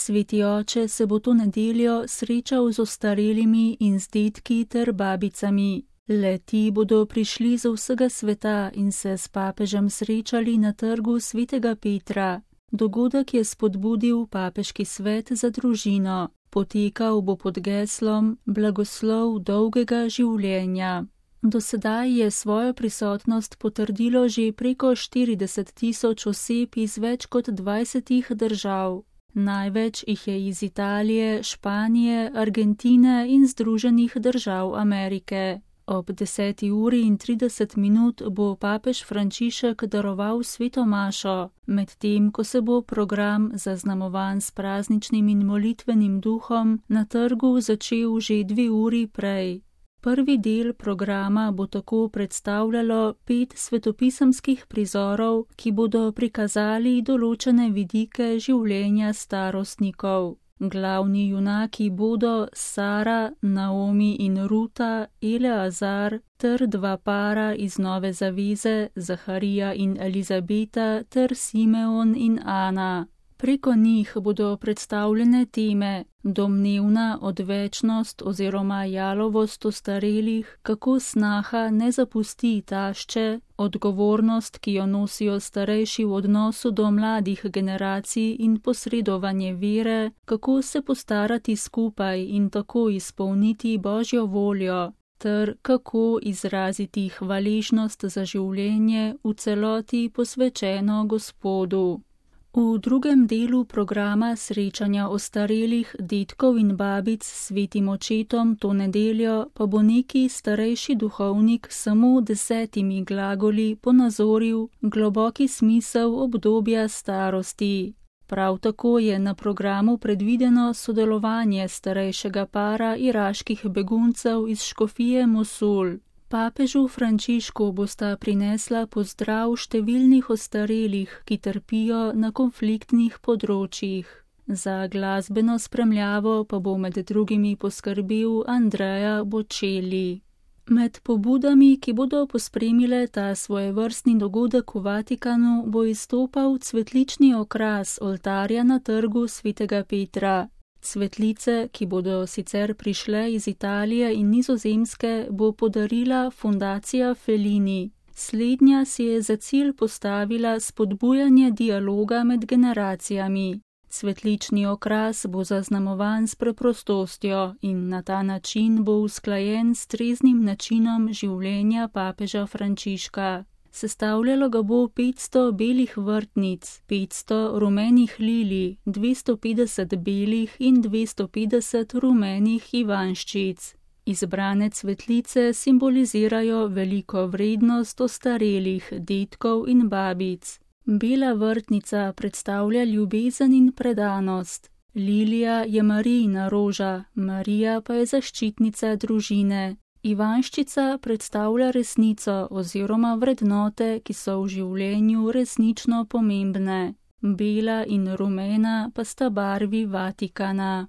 Sveti oče se bo to nedeljo srečal z ostarelimi in z dedki ter babicami. Le-ti bodo prišli z vsega sveta in se s papežem srečali na trgu Svetega Petra. Dogodek je spodbudil papeški svet za družino. Potekal bo pod geslom Blagoslov dolgega življenja. Do sedaj je svojo prisotnost potrdilo že preko 40.000 oseb iz več kot 20 držav. Največ jih je iz Italije, Španije, Argentine in Združenih držav Amerike. Ob 10:30 bo papež Frančišek daroval sveto mašo, medtem ko se bo program, zaznamovan s prazničnim in molitvenim duhom, na trgu začel že 2 uri prej. Prvi del programa bo tako predstavljalo 5 svetopisemskih prizorov, ki bodo prikazali določene vidike življenja starostnikov. Glavni junaki bodo Sara, Naomi in Ruta, Eleazar ter 2 para iz Nove zaveze, Zaharija in Elizabeta ter Simeon in Ana. Preko njih bodo predstavljene teme: domnevna odvečnost oziroma jalovost ostarelih, kako snaha ne zapusti tašče, odgovornost, ki jo nosijo starejši v odnosu do mladih generacij in posredovanje vere, kako se postarati skupaj in tako izpolniti Božjo voljo, ter kako izraziti hvaležnost za življenje v celoti posvečeno Gospodu. V drugem delu programa srečanja ostarelih dedkov in babic s svetim očetom to nedeljo pa bo neki starejši duhovnik samo 10 glagoli ponazoril globoki smisel obdobja starosti. Prav tako je na programu predvideno sodelovanje starejšega para iraških beguncev iz škofije Mosul. Papežu Frančišku bosta prinesla pozdrav številnih ostarelih, ki trpijo na konfliktnih področjih. Za glasbeno spremljavo pa bo med drugimi poskrbel Andrea Bocelli. Med pobudami, ki bodo pospremile ta svojevrstni dogodek v Vatikanu, bo izstopal cvetlični okras oltarja na trgu Svetega Petra. Cvetlice, ki bodo sicer prišle iz Italije in Nizozemske, bo podarila fundacija Fellini. Slednja si je za cilj postavila spodbujanje dialoga med generacijami. Cvetlični okras bo zaznamovan s preprostostjo in na ta način bo usklajen s treznim načinom življenja papeža Frančiška. Sestavljalo ga bo 500 belih vrtnic, 500 rumenih lilij, 250 belih in 250 rumenih ivanjščic. Izbrane cvetlice simbolizirajo veliko vrednost ostarelih dedkov in babic. Bela vrtnica predstavlja ljubezen in predanost. Lilija je Marijina roža, Marija pa je zaščitnica družine. Ivanjščica predstavlja resnico oziroma vrednote, ki so v življenju resnično pomembne. Bela in rumena pa sta barvi Vatikana.